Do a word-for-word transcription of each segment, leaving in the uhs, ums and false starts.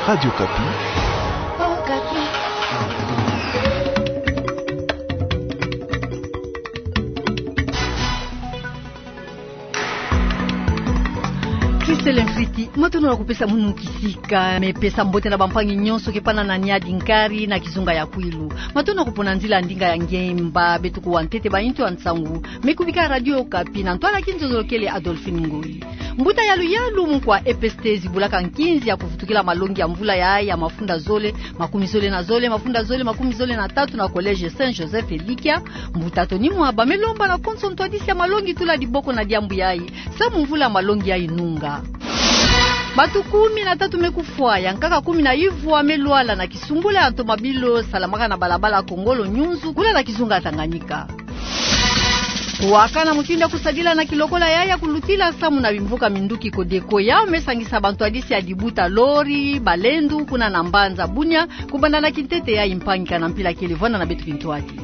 Radio Okapi. Christelle Mfriti, matondo na kupesa munu kisika, me pesa mbote na bampangi nyonso ke pana na Niari nkari na kizunga ya Kwilu. Matondo na kupona nzila ndinga ya ngemba, beto kuwa ntete ba ntu ya nsangu, me kubika Radio Okapi, na ntwala kinzonzolokele Adolphine Ngoyi. Mbuta ya luyalu mukwa E P S T zibulaka nkinzi ya kuvutukila malongi ya mvula ya, ya mafunda zole, makumi zole na zole, mafunda zole, makumi zole na tatu na Collège Saint Joseph Elikia. Mbuta Tony Mwaba me lomba na konso ntwadisi ya malongi tula diboko na diambu yayi, samu mvula ya malongi yayi nunga. Bato kumi na tatu me kufwa, ya nkaka kumi na ivwa me lwala na kisumbula ya ntomabilu salamaka na balabala Kongolo Nyunzu, kuna na kizunga Tanganyika. Kuwaka na mutindu ya kusadila na kilokola ya, ya kulutila samu na bimvuka minduki Codeco, yau me sangisa bantwadisi ya dibuta lori, balendu, kuna na mbanza Bunia, kubanda na kintete yayi mpangi kana mpila kele, vwanda na beto kintwadi.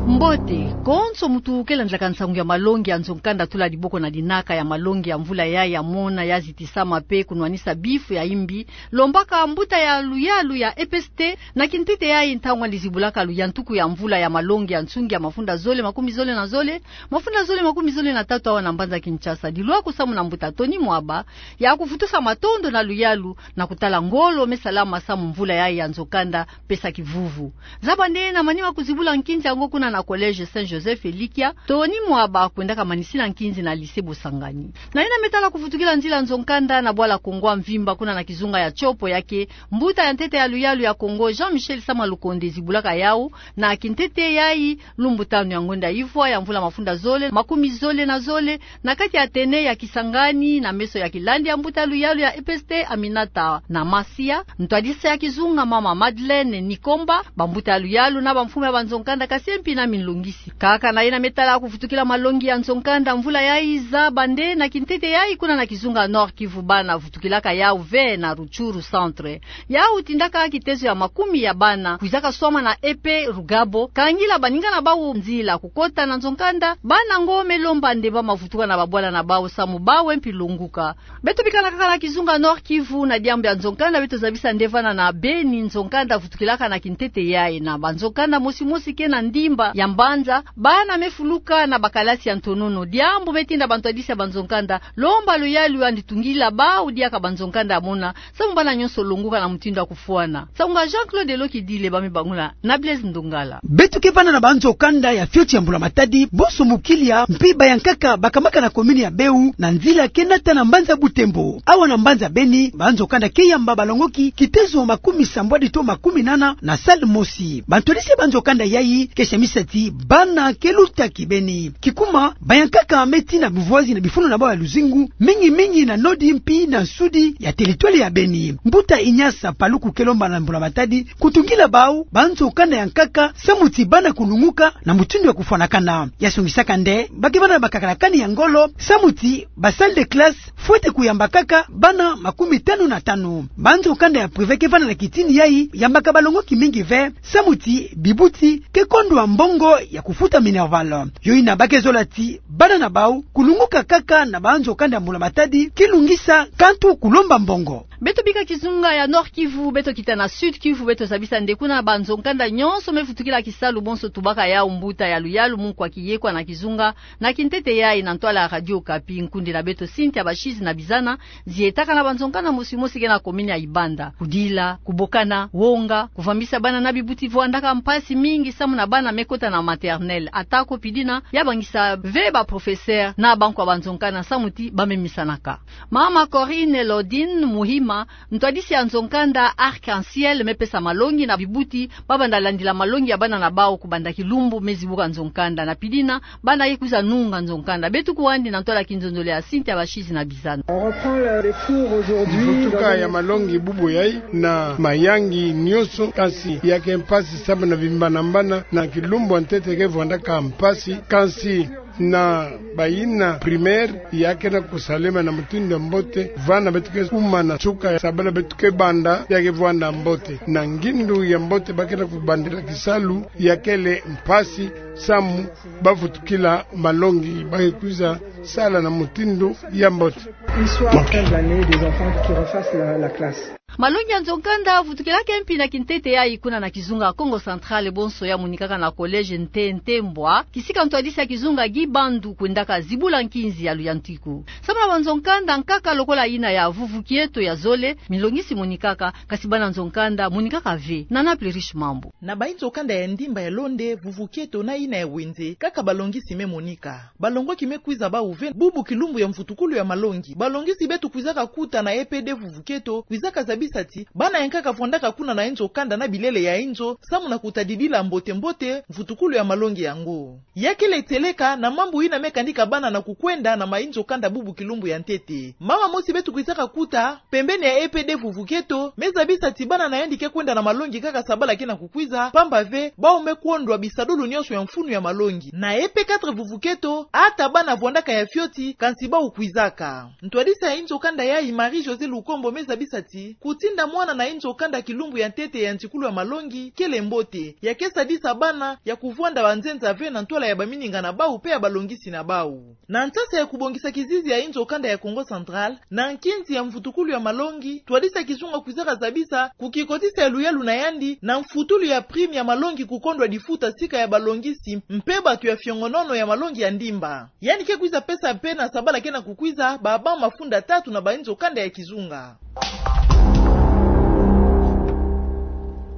Mbote, konso mutu ke landilaka nsangu ya malongi ya nzo-nkanda tula diboko na dinaka ya malongi ya mvula yayi ya mona ya zitisama pe kunwanisa bifu ya imbi, lombaka mbuta ya luyalu ya E P S T, na kintete yayi ntangu andi zibulaka luyantuku ya mvula ya malongi ya nsungi ya mafunda zole, makumi zole na zole, mafunda zole, makumi zole na tatu awa na mbanza Kinshasa. Dilwaku samu na mbuta Tony Mwaba, ya kuvutusa matondo na luyalu, na kutala ngolo me salama samu mvula yayi ya nzo-nkanda, pesa kivuvu. Zaba nde na manima kuzibula nkinzi yango kuna na Collège Saint Joseph Elikia, Tony Mwaba kwendaka manisina nkinzi na Lycée Bosangani. Na yina me tala kuvutukila nzila nzo-nkanda na bwala Kongo ya mvimba kuna na kizunga ya Tshopo ya ke, mbuta ya ntete ya luyalu ya Kongo, Jean-Michel Sama Lukonde zibulaka yau, na kintete yayi, lumbu tanu ya ngonda ivwa ya mvula mafunda zole, makumi zole na zole, na kati ya Athénée ya Kisangani, na meso ya kilandi ya mbuta ya luyalu ya E P S T Aminata Namasia, ntwadisi ya kizunga mama Madeleine Nikomba, bambuta ya luyalu na bamfumu ya banzo-nkanda Kasiempi na Minlungisi. Kaka na yina me tala kuvutukila malongi ya nzo-nkanda mvula yayi, zaba nde na kintete yayi kuna na kizunga Nord-Kivu bana vutukilaka yau ve na Rutshuru Centre. Yau tindaka kitezo ya makumi ya bana kwizaka swama na E P Rugabo, kangila baninga na bau nzila kukota na nzo-nkanda, bana ngo me lomba nde bamavutuka na babwala na bau samu bau mpi lunguka. Beto bikana kaka na kizunga Nord-Kivu, na diambu ya nzo-nkanda beto zabisa nde vana na Beni nzo-nkanda vutukilaka na kintete yayi, na banzo-nkanda mosi mosi ke na ndimba ya mbanza, bana me fuluka na bakalasi ya ntonono. Diambu me tinda bantwadisi ya banzo-nkanda lomba luyalu andi tungila bau diaka banzo-nkanda ya mona, samu bana nyonso lunguka na mutindu ya kufwana. Nsangu ya Jean-Claude Lokidile, ba me bangula na Blaise Ndongala. Beto ke vana na banzo-nkanda ya fioti ya Mbula Matadi, bonso mukilia, mpi bayankaka bakamaka na commune ya Beu, na nzila ke nata na mbanza Butembo. Awa na mbanza Beni, banzo-nkanda ke yamba balongoki kitezo makumi sambwadi to makumi nana na salle mosi. Bantwadisi ya banzo-nkanda yayi ke semisa ti bana ke luta kibeni. Kikuma, bayankaka me tina buvoizi na bifulu na bau ya luzingu, mingi mingi na nodi mpi na nsudi ya territoire ya Beni. Mbuta Ignace Paluku ke lomba na Mbula Matadi kutungila bau banzo-nkanda ya nkaka, samu ti bana kulunguka na mutindu ya kufwanakana. Ya songisaka nde ba ke vana na bakakalakani ya ngolo, samu ti ba salle de classe fwete kuyamba kaka bana makumi tanu na tanu. Banzo-nkanda ya privé ke vana na kitini yayi yambaka balongoki mingi ve, samu ti bibuti ke kondwa mbongo ya kufuta minerval. Yo yina ba ke zola ti bana na bau kulunguka kaka na banzo-nkanda ya Mbula Matadi, kilungisa kantu kulomba mbongo. Beto bika kizunga ya Nord-Kivu, beto kita na Sud-Kivu, beto zabisa nde kuna banzo-nkanda nyonso me vutukila kisalu, bonso tubaka yau mbuta ya luyalu mukwa kiyekwa na kizunga, na kintete yayi na ntwala ya Radio Okapi, nkundi na beto Cynthia Bashizi na Bizana, zietaka na banzo-nkanda mosi mosi ke na commune ya Ibanda. Kudila, kubokana, wonga, kuvambisa bana na bibuti vwandaka mpasi mingi samu na bana me kota na maternelle. Atako pidina, ya bangisa ve ba professeur na bankwa banzo-nkanda samu ti ba me misanaka. Mama Corinne Lodine Muhima, ntwadisi ya nzo-nkanda Arc-en-Ciel, me pesa malongi na bibuti ba banda landila malongi ya bana na bau kubanda kilumbu me zibuka nzo-nkanda. Na pidina, bana ye kwiza nunga nzo-nkanda. Beto kuwa andi na ntwala kinzonzolo ya Cynthia Bashizi na Bizana. On reprend le, les cours aujourd'hui. Mvutuka ya malongi bubu yayi na mayangi nyonso, kansi ya ke mpasi samu na bimbanambana, na kilumbu ya ntete ke vwandaka mpasi, kansi Na bayina primaire, ya kena kusalema na mutindu ya mbote, vana beto ke kuma na nsuka ya sabala beto ke banda, ya ke vwanda mbote. Na ngindu ya mbote ba kena kubandila kisalu, ya kele mpasi, samu ba vutukila malongi, ba ke kwiza sala na mutindu ya mbote. Une fois après l'année, des enfants qui refassent la, la classe. Malongi ya nzo-nkanda avutukilaka mpi na kintete yayi kuna na kizunga Kongo Central, bonso ya monikaka na collège Nte Ntembwa, kisika ntwadisi ya kizunga Guy Bandu kwendaka zibula nkinzi ya luyantiku. Samu na banzo-nkanda, nkaka lokola yina ya Vuvu Kieto ya zole, milongisi monikaka, kasi bana nzo-nkanda monikaka ve. Nana Plurish Mambu. Na bayi nzo-nkanda ya Ndimba, ya Londe, Vuvu Kieto na yina ya Ouenze, kaka balongisi me monika. Balongwaki me kwiza bawu ve bubu kilumbu ya mvutukulu ya malongi. Balongisi beto kwizaka kuta na E P D Vuvu Kieto, kwizaka zabisa ti bana ya nkaka vwandaka kuna na inzo-nkanda na bilele ya inzo, samu na kutadidila mbote-mbote mvutukulu ya malongi yango. Ya kele tieleka na mambu yina me kanika bana na kukwenda na mayi nzo-nkanda bubu kilumbu ya ntete. Mama mosi beto kwizaka kuta pembeni ya E P D Vuvu Kieto, me zabisa ti bana na yandi ke kwenda na malongi kaka sabala kena kukwiza, pamba ve, bawu me kwondwa bisadulu nyonso ya mfunu ya malongi. Na E P quatre Vuvu Kieto, ata bana vwandaka ya fioti, kansi bawu kwizaka. Ntwadisi ya inzo-nkanda yayi, Marie-Josée Lukombo, me zabisa ti kutinda mwana na inzo-nkanda kilumbu ya ntete ya ntikulu ya malongi kele mbote, ya ke sadisa bana ya kuvwanda banzenza ve na ntwala ya bamininga na bawu pe ya balongisi na bawu. Na nsasa ya kubongisa kizizi ya inzo-nkanda ya Kongo Central na nkinzi ya mvutukulu ya malongi, ntwadisi ya kizunga kwizaka zabisa kukikotisa ya luyalu na yandi na mfutulu ya prime ya malongi kukondwa difuta sika ya balongisi mpe bato ya fiongonono ya malongi ya Ndimba. Yandi ke kwiza pesa mpe na sabala kena kukwiza baba mafunda tatu na bayi nzo-nkanda ya kizunga.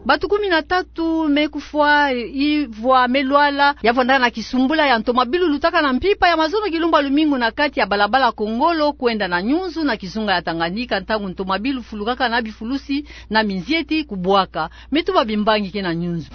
Bato kumi na tatu me kufwa, ivwa me lwala, ya vwandaka na kisumbula ya ntomabilu lutaka na mpimpa ya mazono kilumbu ya lumingu na kati ya balabala Kongolo kwenda na Nyunzu na kizunga ya Tanganyika, ntangu ntomabilu fulukaka na bifulusi na minzieti kubwaka. Me tuba bimbangi ke na Nyunzu.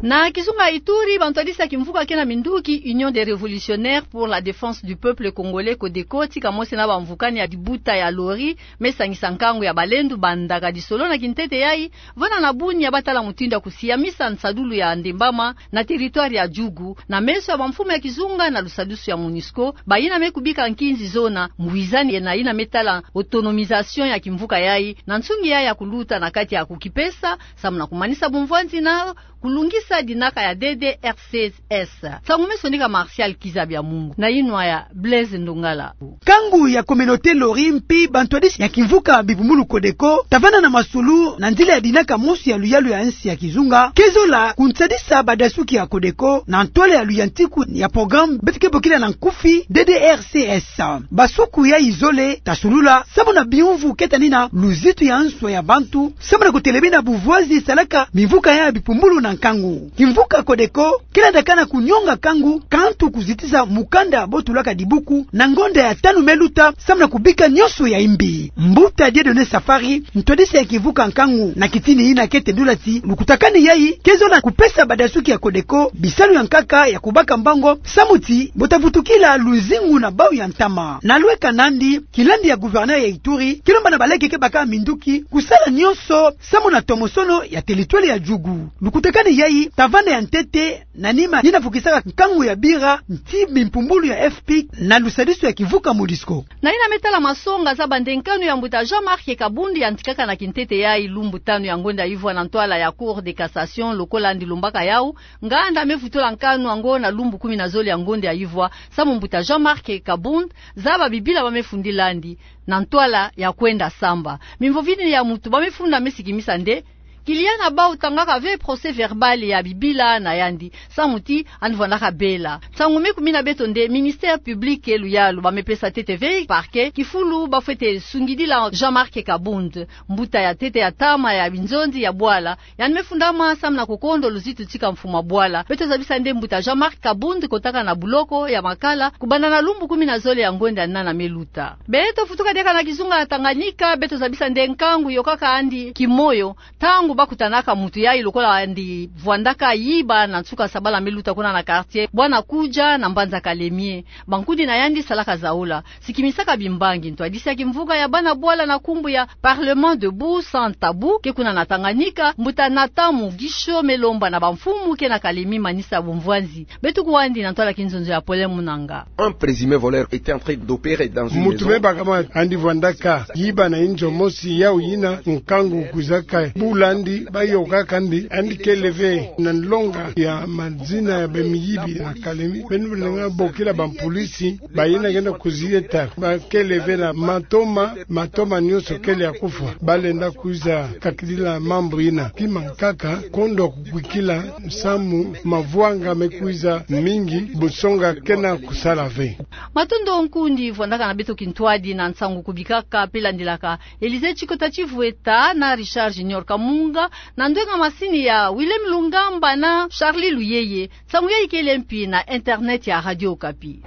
Na kizunga Ituri, bantwadisi ya kimvuka ke na minduki, Union des Révolutionnaires pour la Défense du Peuple Congolais, CODECO, tika mosi na bamvukani ya dibuta ya Lori, me sangisa nkangu ya balendu bandaka disolo na kintete yayi, vana na Bunia, ba tala mutindu ya kusiamisa nsadulu ya ndembama na territoire ya Djugu, na meso ya bamfumu ya kizunga na lusadusu ya MONUSCO, bayina me kubika nkinzi zona, ngwizani na yina me tala autonomisation ya kimvuka yayi, na nsungi yayi ya kuluta na kati ya kukipesa, samu na kumanisa bumvwanzi na kulungisa dinaka ya D D R C S. Nsangu me sonika Martial Kizabia Mungu, na yinwa ya Blaise Ndongala. Nkangu ya communauté Lori mpi bantwadisi ya kimvuka bipumbulu CODECO, ta vana na masulu na nzila ya dinaka mosi ya luyalu ya nsi ya kizunga, ke zola kunsadisa badasuki ya CODECO na ntwala ya luyantiku ya programme beto ke bokila na nkufi D D R C S. Basuku yayi zole ta sulula, samu na biumvu ke tani na luzitu ya nswa ya bantu, samu na kutelemina buvwazi salaka mimvuka ya bipumbulu na nkangu. Kimvuka CODECO ke landakana kunyonga nkangu, kantu kuzitisa mukanda bo tulaka dibuku na ngonda ya tanu me luta, samu na kubika nyonso ya imbi. Mbuta Dieudonné Safari, ntwadisi ya kimvuka nkangu, na kitini yina ke tendula ti lukutakanu yayi ke zola kupesa badasuki ya CODECO bisalu ya nkaka ya kubaka mbango, samu ti bo ta vutukila luzingu na bawu ya ntama. Na lweka nandi, kilandi ya gouverneur ya Ituri ke lomba na baleke ke baka minduki kusala nyonso samu na tomosono ya territoire ya Djugu. Lukutakanu yayi ta vanda ya ntete na nima yina vukisaka nkangu ya bira nti bimpumbulu ya F P I C na lusadusu ya kimvuka MONUSCO. Na yina me tala masonga za bandenkanu ya mbuta Jean-Marc Kabund yantikaka na kintete yayi lumbu tanu ya ngonda yivwa na ntwala ya Cour de cassation, lokola yandi lombaka yawu, nganda me vutula nkanu yango na lumbu kumi na zole ya ngonda yivwa, samu mbuta Jean-Marc Kabund zaba bibila ba me fundila yandi na ntwala ya kwenda samba. Mimvo vini ya mutu ba me funda me sikimisa nde kiliana bawu tangaka ve procès-verbal ya bibila na yandi, samu ti yandi vwandaka bela. Nsangu me kumina beto nde ministère public ke luyalu ba me pesa ntete ve parquet kifulu ba fwete sungidila Jean-Marc Kabund, mbuta ya ntete ya ntama ya binzonzi ya bwala, yandi me fundama samu na kukondo luzitu tika mfumu ya bwala. Beto zabisa nde mbuta Jean-Marc Kabund kotaka na buloko ya Makala kubanda na lumbu kumi na zole ya ngonda ya nana me luta. Beto futuka diaka na kizunga ya Tanganyika, beto zabisa nde nkangu yokaka yandi kimoyo, ntangu Bakutanaka muntu yayi lokola yandi vwandaka yiba na nsuka sabala me luta kuna na quartier Bwana Kudia na mbanza Kalemie. Bankudi na yandi salaka zaula, sikimisaka bimbangi. Ntwadisi ya kimvuka ya bana bwala na nkumbu ya Parlement debout sans tabou ke kuna na Tanganyika, mbuta Nathan Mugisho, me lomba na bamfumu ke na Kalemie manisa bumvwanzi. Beto kwandi na ntwala kinzonzo ya Paulin Munanga. Un présumé voleur était en train d'opérer dans une maison. Muntu me baka mwa yandi vwandaka yiba na inzo mosi, yau yina nkangu kwizaka bula yandi, bayôka kandi, yandi kele ve na nlonga ya mazina ya bamiyibi na Kalemie. Beno bena nga bokila bampulisi, bayina kenda kuzieta, bakele ve na matoma, matoma nyonso kele ya kufwa. Balenda kwiza kakidila mambu yina. Kima nkaka, kondo kukwikila, samu mavwanga me kwiza mingi, busonga kena kusala ve. Matondo nkundi vwandaka na beto kintwadi na nsangu kubikaka pe landilaka. Elise Chikota Chivweta na Richard Junior Kamunga, na ndwenga masini ya Willem Lungamba na Charlie Luyeye. Nsangu yayi kele mpi na internet ya Radio Okapi.